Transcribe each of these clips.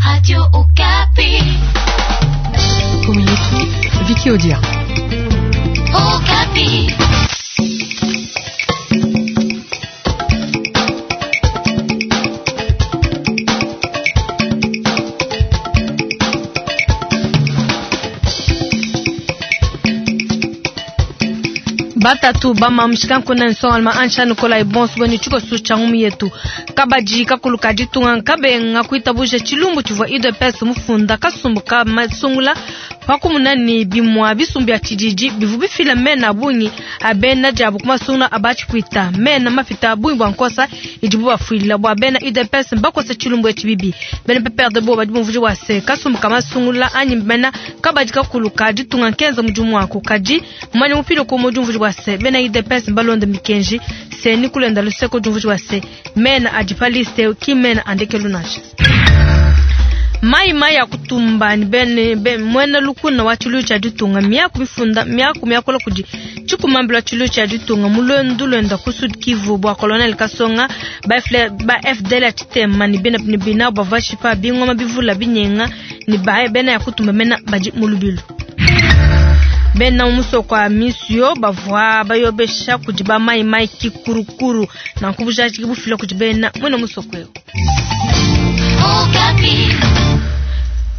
Radio Okapi. Vicky Odia. Okapi. Batatu bamamshikankuna nsongalma ansha nikola ibonso bwenu tshikoso tsha ngumi yetu kabadi kakulu ka ditunga nkabenga kuitabuja tshilumbu tshivua UDPS mufunda kasumbu ka masungula pakumuna ni bimua bisumbu bia tshididi bivu bifila mena bungi abena diabu ku masungula abatshipwita mena mapita bungi bua nkosa idibu bafuila bua bena UDPS mbakosa tshilumbu etshi bibi bena PPRD bo badi bumvuji bua se kasumbu ka masungula anyi mena kabadi kakulu ka ditunga nkenza mudimu wako kadi mumanya mupilo ku mudumvuji bua se bena UDPS mbalonda mikenji se ni kulenda luseko diumvuji bua se mena adi pa liste ki mena andekelu nansha mai mai ya kutumba ni bene be, mwena lukuna wa tshilu tsha ditunga miaku mifunda miaku miakola kudi tshikumambila tshilu tsha ditunga mulwendu lwenda ku Sud Kivu bua colonel Kasonga ba FL, ba FDL ya tshitema ni bena ni bina bavashipa bingoma bivula binyenga ni ba bena ya kutumba mena badi mulubilu bena musoko wa misio bavua bayobesha kudi ba mai mai kikurukuru na nkubujaji bufila kudi bena mwena musoko yo Okapi.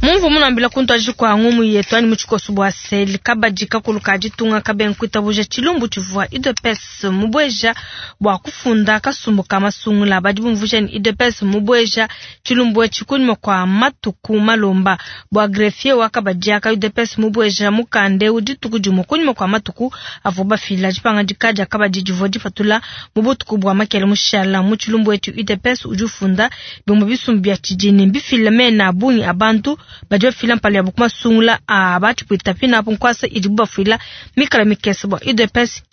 Mumvu munambila kuntu kwa ngumu yetu ani muchikoso bwa seli kabadi kakulu ka ditunga kabenga kuitabuja tshilumbu tshivua UDPS mubweja bua kufunda kasumbu ka masungula badi bumvuja ni UDPS mubweja tshilumbu etshi kunyima kwa matuku malomba bua greffier wa kabadi aka UDPS mubweja mukande dituku dimue kunyima kwa matuku avua bafila dipangadika dia kabadi divua dipatula mu butuku bua makele mushala mu tshilumbu etshi UDPS udi ufunda bimue bisumbu bia tshidini mbifila mena bungi abantu badi bafila mpala yabo kumasungula a batshipwita pinapo nkwasa idibu bafuila mikala mikese bua UDPS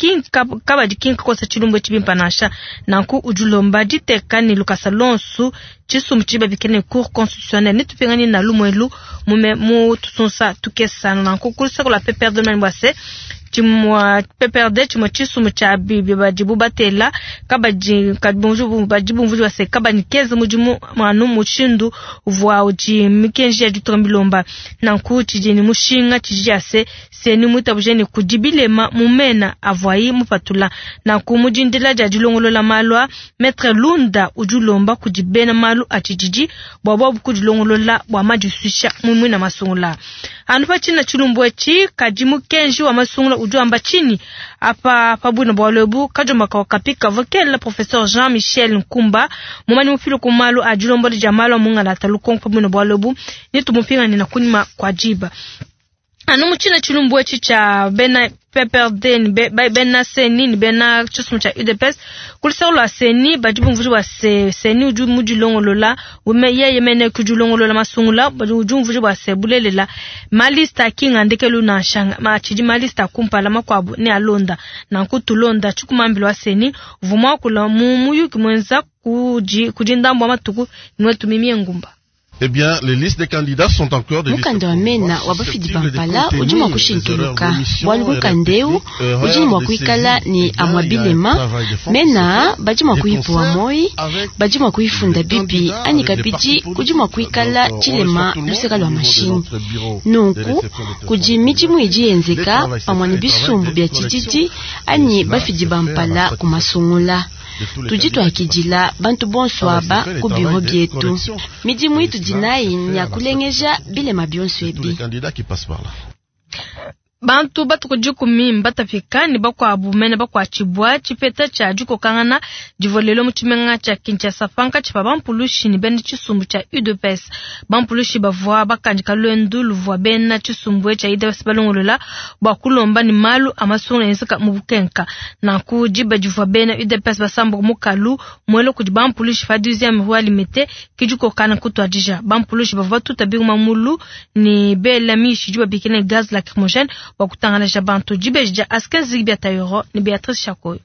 kabadi kinkakosa tshilumbu etshi bimpa nansha nanku udi ulomba diteka ni lukasa lonsu tshisumbu tshidi babikila ne cour constitutionnelle netupingani na lumuelu mume mu tusunsa tukesana nanku kulusako lua PPRD mani bua se tshimua PPRD tshimue tshisumbu tshia bibi badibu batela kabadi badi bumvuji bua se kabanikeze mudimu anu mushindu uvua udi mikenji ya ditunga milomba nanku tshidi ni mushinga tshidi ya se seni muitabuje ni kudi bilema mu mena avuayi mupatula nanku mudindila dia dilongolola malu a Maître Lunda udi ulomba kudi bena malu a tshididi bua bobu kudilongolola bua madisuisha mumui na masungula anu pa tshina tshilumbu etshi kadi mukenji wa masungula udi wamba tshinyi apa pabwina bwalu ebu kadiomba kapi kavua kela professeur Jean Michel Nkumba mumanyi mufile ku malu a dilombola dia malu a mungalata lukonko pabwina bwalu ebu nitumupingane na kunyima kwa diba anu mu tshina tshilumbu etshi tsha bena PPRD ni bena seni ni bena tshisumbu tsha UDPS kulusako lua seni badi bumvuji bua se seni udi mudilongolola ume yeye mene kudilongolola masungula badi udi umvuji bua se bulelela malista akinga ndekelu nansha ma tshidi malista akumpala makuabu ne alonda nanku tulonda tshikumambila wa seni uvua muakula mu muyuki muenza kudi kudi ndambu wa matuku niwetu mimie ngumba. Eh bien, les listes des candidats sont encore des listes mukanda wa mena wa bafidi bampala udi mua kushintuluka bualu mukanda eu udi mua kuikala ni amua bilema mena badi mua kuyipuwa moi badi mua kuyifunda bibi anyi kabidi kudi mua kuikala tshilema luseka lua mashini nunku kudi midimu idi yenzeka pamue ne bisumbu bia tshididi anyi bafidi bampala ku masungula tudi tuakidila bantu bonso aba ku biro bietu midimu itudi nayi nya kulengeja bilema bionso ebi. Bantu batuku dikumi mbatapika ni bakuabu mene bakuatshibua tshipeta tshia dikokangana divua lelo mu tshimenga tshia Kinshasa pankatshi pa bampulushi ni bena tshisumbu tshia UDPS. Bampulushi bavua bakandika lwendu luvua bena tshisumbu tshia UDPS balongolola bua kulomba ni malu a masungula enzeka mu bukenka. Nanku diba divua bena UDPS basambuka mukalu muelo kudi bampulushi pa 12e rue Limete ke dikokana kutuadija. Bampulushi bavua batuta bingoma mulu ni bela mishi diba bikila ne gaz lacrymogène bua kutangalaja bantu dibeji dia Askin Zigbi Tayoro ni Beatrice Chakoyo.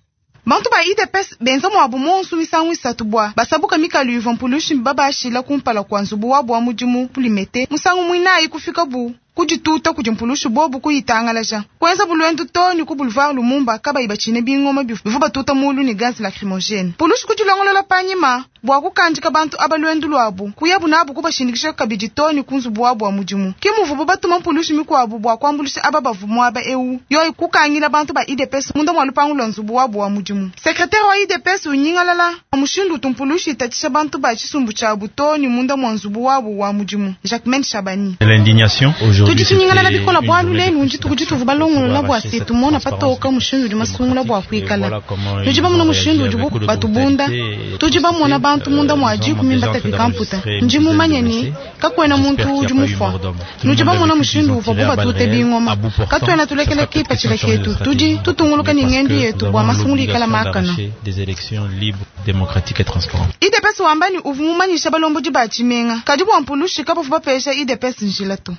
Bantu ba UDPS benza muabu monsu misangu isatu bua basabuka mikalu ivua mpulushi babashila kumpala kua nzubu wabu wa mudimu ku Limete musangu muinayi kufika bu Kudituta kudi mpulushi bobu kuyitangalaja. Kuenza bulwendu too ne ku Boulevard Lumumba kabayi batshine bingoma bivua batuta mulu ne gaz lacrymogene. Pulushi kudilongolola panyima bua kukandika bantu aba luendu luabu, kuyabu nabu kubashindikisha kabidi too ne ku nzubu wabu wa mudimu. Ke muvubu batuma mpulushi mikuabu bua kuambuluisha aba bavua muaba eu, yoyi kukangila bantu ba UDPS munda mua lupangu lua nzubu wabu wa mudimu. Sekretere wa UDPS unyingalala mushindu utu mpulushi itatshisha bantu ba tshisumbu tshiabu too ne munda mua nzubu wabu wa mudimu. Jacquemaine Shabani. L'indignation aujourd'hui. Tudi tunyingalala bikola bualu lelu ndituku dituvua balongolola bua se tumona patoka mushindu udi masungula bua kuikala. Tudi bamona mushindu udibu batubunda, tudi bamona bantu munda mua dikumi mbatapika mputa. Ndi mumanye ne kakuena muntu udi mufua. Nudi bamona mushindu uvuabu batute bingoma. Katuena tulekela kipatshila ketu, tudi tutunguluka ne ngendu yetu bua masungula ikala makana. Des élections libres, démocratiques et transparentes. UDPS wamba ne uvua mumanyisha balombodi ba tshimenga, kadi bua mpulushi kabavua bapesha UDPS njila to.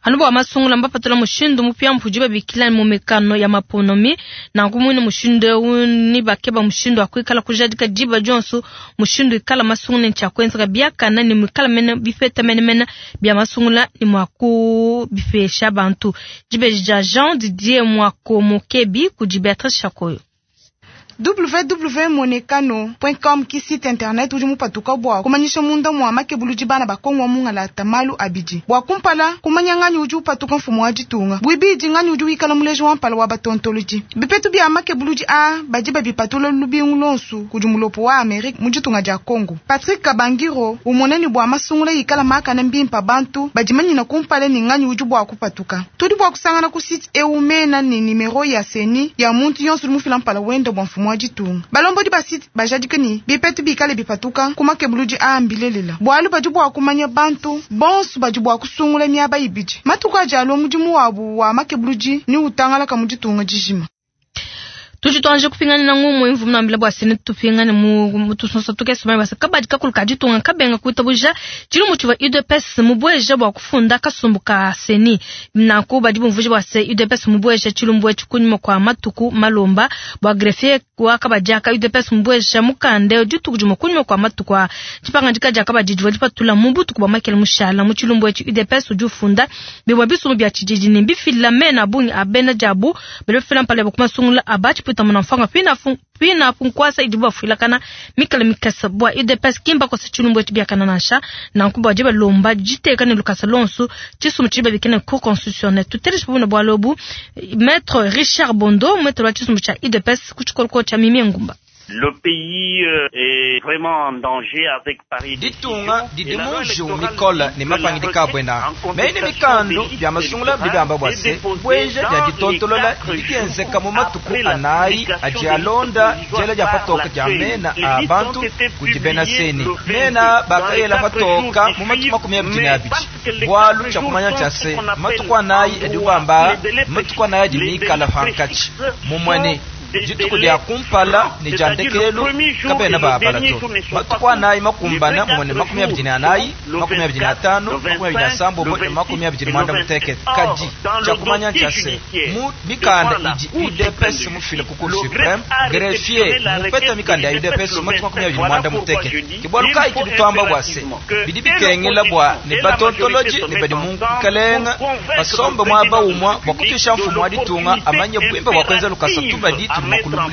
Anu bua masungula mbapatula mushindu mupia mpudi babikila mu mikano ya maponomi nanku mwine mushindu eu ni bakeba mushindu wa kuikala kujadika diba dionso mushindu ikala masungula ne tshia kuenzeka biakana ne muikala mene bipeta menemene bia masungula ne mua kubipesha bantu. Dibeji dia Jean Didier Mwakomokebi kudi Beatrice Chakoyo. www.monekano.com ki site internet udi mupatuka bua kumanyisha munda mua makebuludi bana ba Kongo wa mungalata malu abidi. Bua kumpala kumanya nganyi udi upatuka mfumu wa ditunga, buibidi nganyi udi wikala muleji wa mpala wa batontolodi. Bipetu bia makebuludi a badi babipatula lubingu lonsu kudi mulopo wa Amerika mu ditunga dia Kongo. Patrick Kabangiro umone ne bua masungula ikala makana mbimpa bantu badimanyina kumpala ne nganyi udi bua kupatuka. Tudi bua kusangana ku site eu mena ne nimero ya seni ya muntu yonso udi mufila mpala wenda bua mfumu wa ditunga. Balombodi ba site bajadike ne bipetu bikale bipatuka ku makebuludi a mbilelela. Bualu badi bua kumanya bantu bonso badi bua kusungula miaba ibidi. Matuku adi alua mudimu wabu wa makebuludi ni utangalaka mu ditunga dijima. Tudi tuanje kupingana na ngumu imvu mnambila bua sene tupingane mu mutusonsa tukese mai basa kabadi kakulu ka ditunga kabenga kuitabuja tshilumbu tshivua UDPS mubweja bua kufunda kasumbu ka seni nanku badi bumvuja bua se UDPS mubweja tshilumbu etshi kunyima kua matuku malomba bua greffier wa kabadi aka UDPS mubweja mukanda dituku dimue kunyima kua matuku a dipangadika dia kabadi divua dipatula mu butuku bua makele mushala mu tshilumbu etshi UDPS udi ufunda bibua bisumbu bia tshididi ne bifila mena bungi a bena diabu badi bafila mpala ya kumasungula abachi puta mfanga pina punkwasa idibu bafuilakana mikala mikasa bua UDPS kimba kosa tshilumbu etshi biakana nansha nanku bua diba lomba diteka ne lukasa lonso tshisumbu tshidi babikila cour constitutionnelle tuteleje pamue na bualu ebu maître Richard Bondo maître wa tshisumbu tshia UDPS ku tshikoloko tshia Mimi Ngumba. Le pays est vraiment en danger avec Paris. Ditunga didimuju mikola ne mapangidika bwena mene mikando bya masungula bibamba bwase bweja bya ditontolola didienzeka mu matuku anayi adi alonda jela dia patoka dia mena a bantu kudi bena seni mena bakayela patoka mu matuku 22 bwalu tshia kumanya tshia se matuku anayi adi ubamba matuku anayi adi mikala pankachi mumwene dituku dia kumpala ne dia ndekelu kabena babala to matuku anayi makumbana mumone 24 25 27 28 kadi tshia kumanya tshia se mu mikanda idi UDPS mufile ku Cour suprême greffier mupeta mikanda ya UDPS matuku 28 kibwalu kayi tudi tuamba bua se bidi bikengela bua ne batontoloji ne badi mu nkalenga basombe muaba umua bua kutuisha mfumu wa ditunga amanye bwimba bua kuenza lukasa tubadi mettre la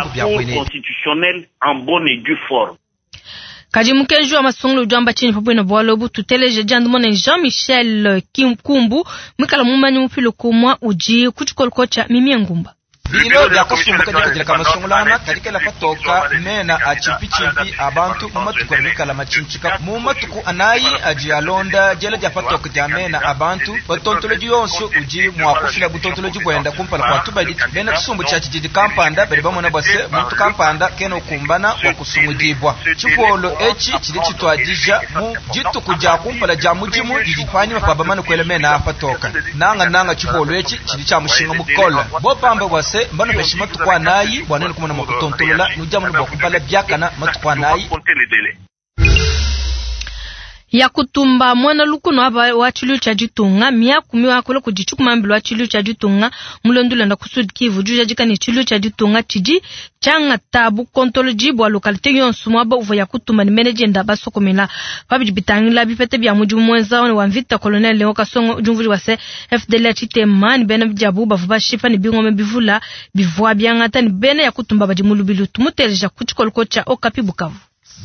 Cour constitutionnelle en bonne et due forme. Kadi mukenji wa masungulu udi wamba tshinyi pabuena bualu ebu tuteleje diandamuna Jean-Michel Kimkumbu mwikala mumanyi mupilo kumwa udi ku tshikoloko tshia Mimi Ngumba. Bilo bya kasumbu kadikadila kamasungulana kadikela patoka mena a chimpichimpi abantu mu matuku amikala machinchika mu matuku anayi adi alonda jela dia patoka dia mena abantu batontoloji yonso udi mua kufila butontoloji bwenda kumpala kwa tubadi bena tshisumbu tshia tshididi kampanda badi bamona bwase muntu kampanda kena ukumbana wa kusungudibwa tshipolo etshi tshidi tshituadija mu dituku dia kumpala dia mudimu didi panyima pa bamane kuela mena a patoka nanga nanga tshipolo etshi tshidi tshia mushinga mukola bopamba bwase mbano peshi matuku anayi bwa nene kumona mwakutontolola nujamunu bwa kubala byakana matuku anayi. Yakutumba mwana lukuno aba wa tshilu tsha ditunga miaku miakula kudi tshikumambilo wa tshilu tsha ditunga mulondulanda ku Sud Kivu jujadika ne tshilu tsha ditunga tshidi tshiangata bukontoloji bua localité yonso mwaba uvua Yakutumba ne menejenda basokomela pabidi bitangila bipete bia mudimu mwenza wa mvita colonel Leo Kasongo ujumvuli wa se FDL tshitema ne bena bijabu bavua bashipa ne bingome bivula bivua biangata ne bena Yakutumba badi mu lubilu tumuteleja ku tshikoloko tsha Okapi Bukavu.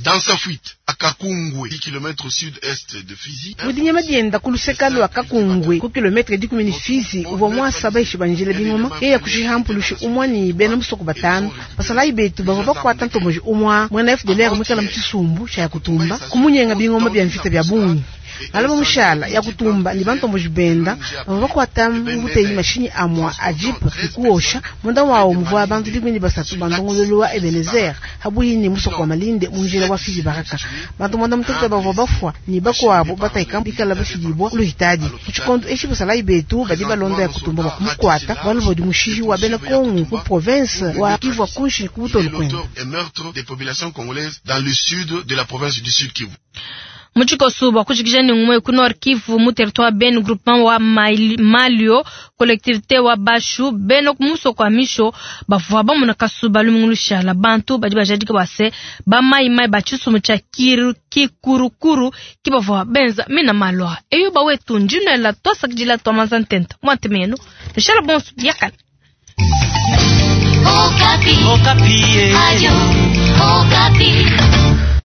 Dans sa fuite, à Kakungwe, 10 km au sud-est de Fizi. Mudinyama dienda kulusekalo wa Kakungwe, ku kilometre 10 Fizi, uvua mwasaba ishibanjila bingoma, eya kushihampulusha umwa ni bena musoko batano. Basalayi betu bavua bakwata ntomboji umwa, mwena FDLR mwikala mu tshisumbu tsha Yakutumba, kumunyenga bingoma bya mvita bya bungi. Alaba mushala Yakutumba ni bantomboji benda bavua bakwata mbuteyi mashinyi amwa a jeep kuosha munda wawo muvua bantu 13 bandongololo wa Ebenezer habuyi musoko wa Malinde munjila wa Fizi Baraka. Bantu mwanda mutete bavua bafwa ni bakwabo bataika bikala bafidibwa kuluhitadi kuchikondo eshi basalayi betu badi balonda Yakutumba bakumukwata balu badi mushihi wa bena Kongo mu province wa Kivu kunshi kubutolo kwenda. Et meurtre des populations congolaises dans le sud de la province du Sud Kivu. Muchikosu bwa kushikisha ni ngumwe ku Nord Kivu mu territoire Ben groupement wa Malio collectivité wa Bashu beno kumuso kwa misho bavua bamuna kasuba lumungulu la bantu badi bajadika base ba mai mai bachisumu cha kiru kikurukuru kibavua benza mina malwa eyo bawetu njino la tosa kujila tomaza ntenta mwantemeno nishala bonsu yakala. Okapi. Okapi. Ayo, Okapi.